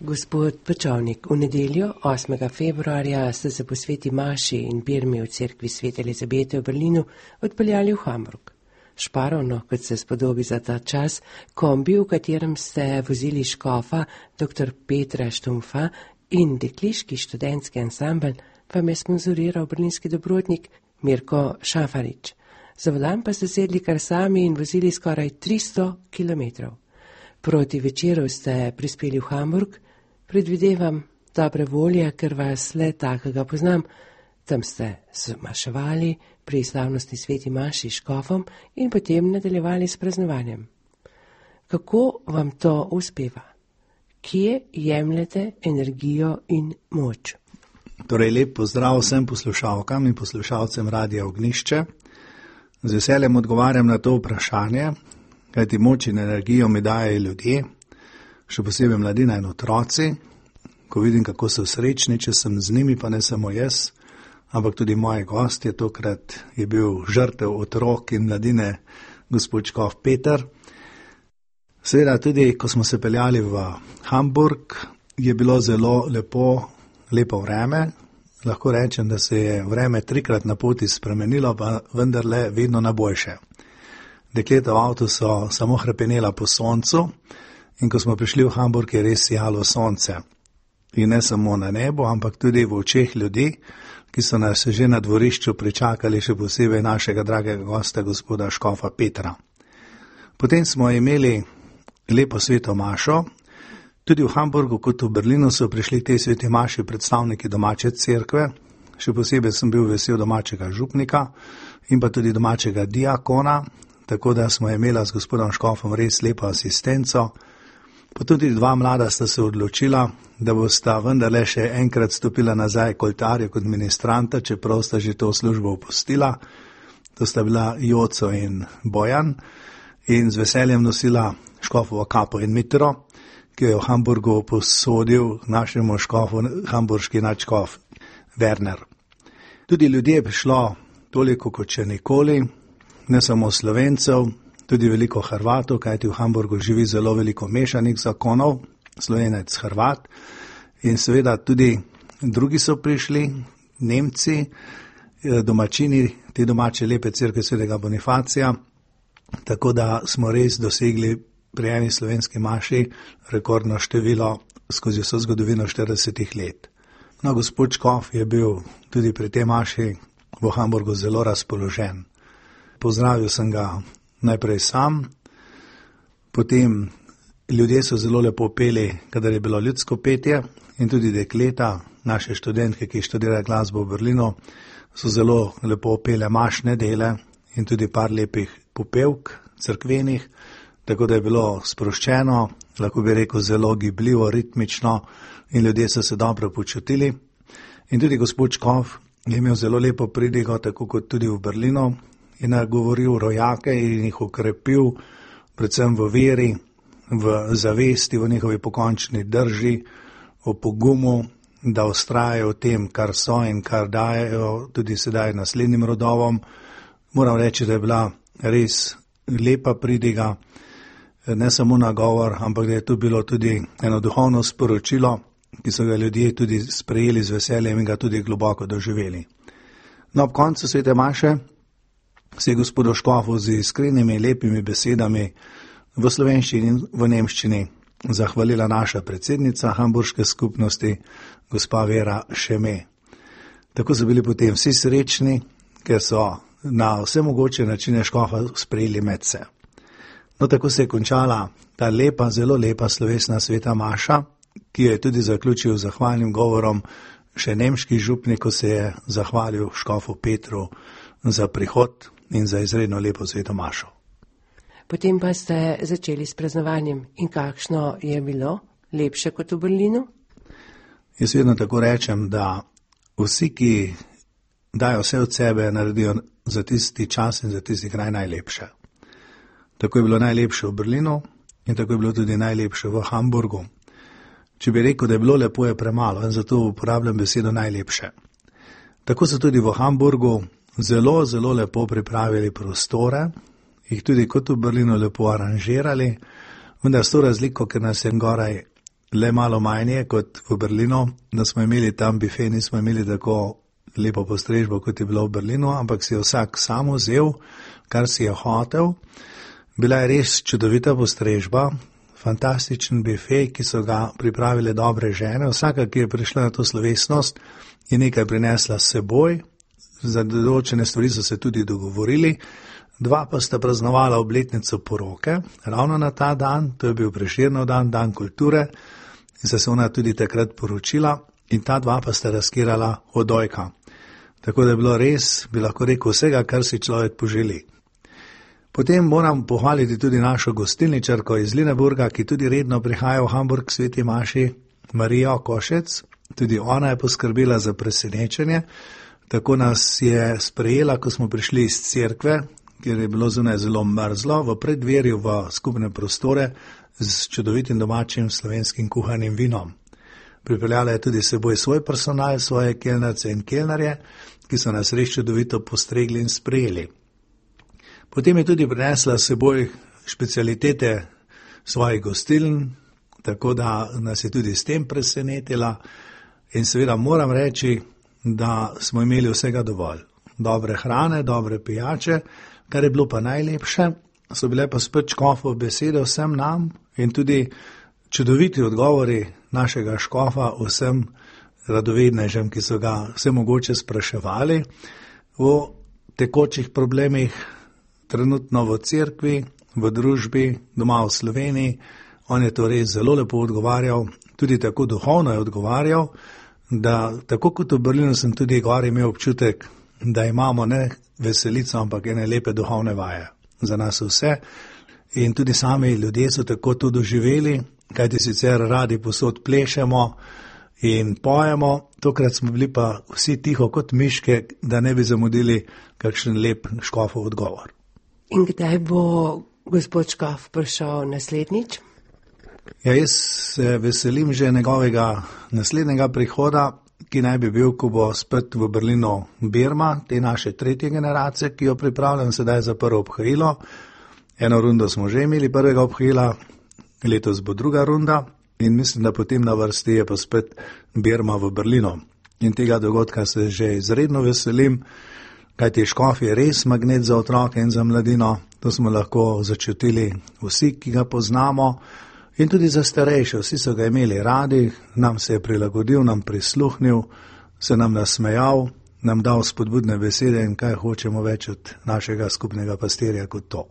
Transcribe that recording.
Gospod Pečovnik, v nedeljo 8. februarja ste se po sveti maši in birmi v cerkvi Svete Elizabete v Berlinu odpeljali v Hamburg. Šparovno, kot se spodobi za ta čas, kombi, v katerem ste vozili škofa dr. Petra Štumfa in dekliški študentski ansambel, vam je sponzoriral berlinski dobrotnik Mirko Šafarič. Za volan pa ste sedli kar sami in vozili skoraj 300 kilometrov. Proti večeru ste prispeli v Hamburg, predvidevam dobre volje, ker vas le takega poznam. Tam ste se maševali pri slavnostni sveti maši škofom in potem nadaljevali s praznovanjem. Kako vam to uspeva? Kje jemljete energijo in moč? Torej, lep pozdrav vsem poslušalkam in poslušalcem Radia Ognjišče. Z veseljem odgovarjam na to vprašanje, kajti moč in energijo mi dajejo ljudje, še posebej mladina in otroci. Ko vidim, kako so srečni, če sem z njimi, pa ne samo jaz, ampak tudi moji gostje, tokrat je bil žrtev otrok in mladine gospod škof Peter. Seveda tudi, ko smo se peljali v Hamburg, je bilo zelo lepo vreme. Lahko rečem, da se je vreme 3-krat na poti spremenilo, pa vendarle vedno na boljše. Dekleta v avtu so samo hrepenela po soncu in ko smo prišli v Hamburg, je res sijalo sonce. In ne samo na nebo, ampak tudi v očeh ljudi, ki so nas že na dvorišču pričakali, še posebej našega dragega gosta, gospoda škofa Petra. Potem smo imeli lepo sveto mašo. Tudi v Hamburgu kot v Berlinu so prišli tej sveti maši predstavniki domače cerkve. Še posebej sem bil vesel domačega župnika in pa tudi domačega diakona, tako da smo imela z gospodom škofom res lepo asistenco. Pa tudi 2 mlada sta se odločila, da bosta vendarle še enkrat stopila nazaj k oltarju kot ministranta, čeprav sta že to službo opustila. To sta bila Joco in Bojan in z veseljem nosila škofovo kapo in mitro, ki jo je v Hamburgu posodil našemu škofu, hamburški nadškof Werner. Tudi ljudje je prišlo toliko kot še nikoli, ne samo Slovencev, tudi veliko Hrvatov, kajti v Hamburgu živi zelo veliko mešanih zakonov, Slovenec, Hrvat. In seveda tudi drugi so prišli, Nemci, domačini, te domače lepe cerkve svetega Bonifacija, tako da smo res dosegli pri eni slovenski maši rekordno število skozi vso zgodovino 40 let. No, gospod škof je bil tudi pri tej maši v Hamburgu zelo razpoložen. Pozdravil sem ga najprej sam, potem ljudje so zelo lepo peli, kadar je bilo ljudsko petje, in tudi dekleta, naše študentke, ki študirajo glasbo v Berlinu, so zelo lepo pele mašne dele in tudi par lepih popevk cerkvenih, tako da je bilo sproščeno, lahko bi rekel zelo gibljivo, ritmično in ljudje so se dobro počutili. In tudi gospod škof je imel zelo lepo pridigo, tako kot tudi v Berlinu, in nagovoril rojake in jih okrepil, predvsem v veri, v zavesti, v njihovi pokončni drži, o pogumu, da vztrajajo v tem, kar so in kar dajejo tudi sedaj naslednjim rodovom. Moram reči, da je bila res lepa pridiga, ne samo nagovor, ampak da je tu bilo tudi eno duhovno sporočilo, ki so ga ljudje tudi sprejeli z veseljem in ga tudi globoko doživeli. No, ob koncu svete maše se je gospodu škofu z iskrenimi lepimi besedami v slovenščini in v nemščini zahvalila naša predsednica hamburške skupnosti, gospa Vera Šeme. Tako so bili potem vsi srečni, ker so na vse mogoče načine škofa sprejeli medse. No, tako se je končala ta lepa, zelo lepa slovesna sveta maša, ki jo je tudi zaključil zahvalnim govorom še nemški župnik, ko se je zahvalil škofu Petru za prihod in za izredno lepo sveto mašo. Potem pa ste začeli s praznovanjem. In kakšno je bilo? Lepše kot v Berlinu? Jaz vedno tako rečem, da vsi, ki dajo vse od sebe, naredijo za tisti čas in za tisti kraj najlepše. Tako je bilo najlepše v Berlinu in tako je bilo tudi najlepše v Hamburgu. Če bi rekel, da je bilo lepo, je premalo in zato uporabljam besedo najlepše. Tako so tudi v Hamburgu zelo, zelo lepo pripravili prostore, jih tudi kot v Berlinu lepo aranžirali, vendar s to razliko, ker nas je goraj le malo manje kot v Berlinu, da smo imeli tam bife, nismo imeli tako lepo postrežbo, kot je bilo v Berlinu, ampak si je vsak sam vzel, kar si je hotel. Bila je res čudovita postrežba, fantastičen bife, ki so ga pripravile dobre žene. Vsaka, ki je prišla na to slovesnost, je nekaj prinesla s seboj, za določene stvari so se tudi dogovorili. 2 pa sta praznovala obletnico poroke, ravno na ta dan, to je bil Prešernov dan, dan kulture, in se ona tudi takrat poročila, in ta 2 pa sta razkirala odojka. Tako da je bilo res, bi lahko rekel, vsega, kar si človek poželi. Potem moram pohvaliti tudi našo gostilničarko iz Lüneburga, ki tudi redno prihaja v Hamburg k sveti maši, Marijo Košec. Tudi ona je poskrbela za presenečenje. Tako nas je sprejela, ko smo prišli iz cerkve, kjer je bilo zunaj zelo mrzlo, v preddverju v skupne prostore z čudovitim domačim slovenskim kuhanim vinom. Pripeljala je tudi seboj svoj personal, svoje kelnarce in kelnarje, ki so nas res čudovito postregli in sprejeli. Potem je tudi prinesla seboj specialitete svojih gostiln, tako da nas je tudi s tem presenetila. In seveda moram reči, da smo imeli vsega dovolj. Dobre hrane, dobre pijače, kar je bilo pa najlepše, so bile pa spet škofov besede vsem nam in tudi čudoviti odgovori našega škofa vsem radovednežem, ki so ga vse mogoče spraševali o tekočih problemih, trenutno v cerkvi, v družbi, doma v Sloveniji. On je to res zelo lepo odgovarjal, tudi tako duhovno je odgovarjal, da tako kot v Berlinu sem tudi gor imel občutek, da imamo ne veselico, ampak ene lepe duhovne vaje za nas vse. In tudi sami ljudje so tako to doživeli, kajti sicer radi posod plešemo in pojemo, tokrat smo bili pa vsi tiho kot miške, da ne bi zamudili kakšen lep škofov odgovor. In kdaj bo gospod škof prišel naslednjič? Ja, jaz se veselim že njegovega naslednjega prihoda, ki naj bi bil, ko bo spet v Berlinu Birma, te naše 3. generacije, ki jo pripravljam sedaj za prvo obhajilo. Eno rundo smo že imeli prvega obhajila, letos bo druga runda in mislim, da potem na vrsti je pa spet Birma v Berlinu. In tega dogodka se že izredno veselim, kajti škof je res magnet za otroke in za mladino. To smo lahko začutili vsi, ki ga poznamo. In tudi za starejše, vsi so ga imeli radi, nam se je prilagodil, nam prisluhnil, se nam nasmejal, nam dal spodbudne besede in kaj hočemo več od našega skupnega pastirja kot to.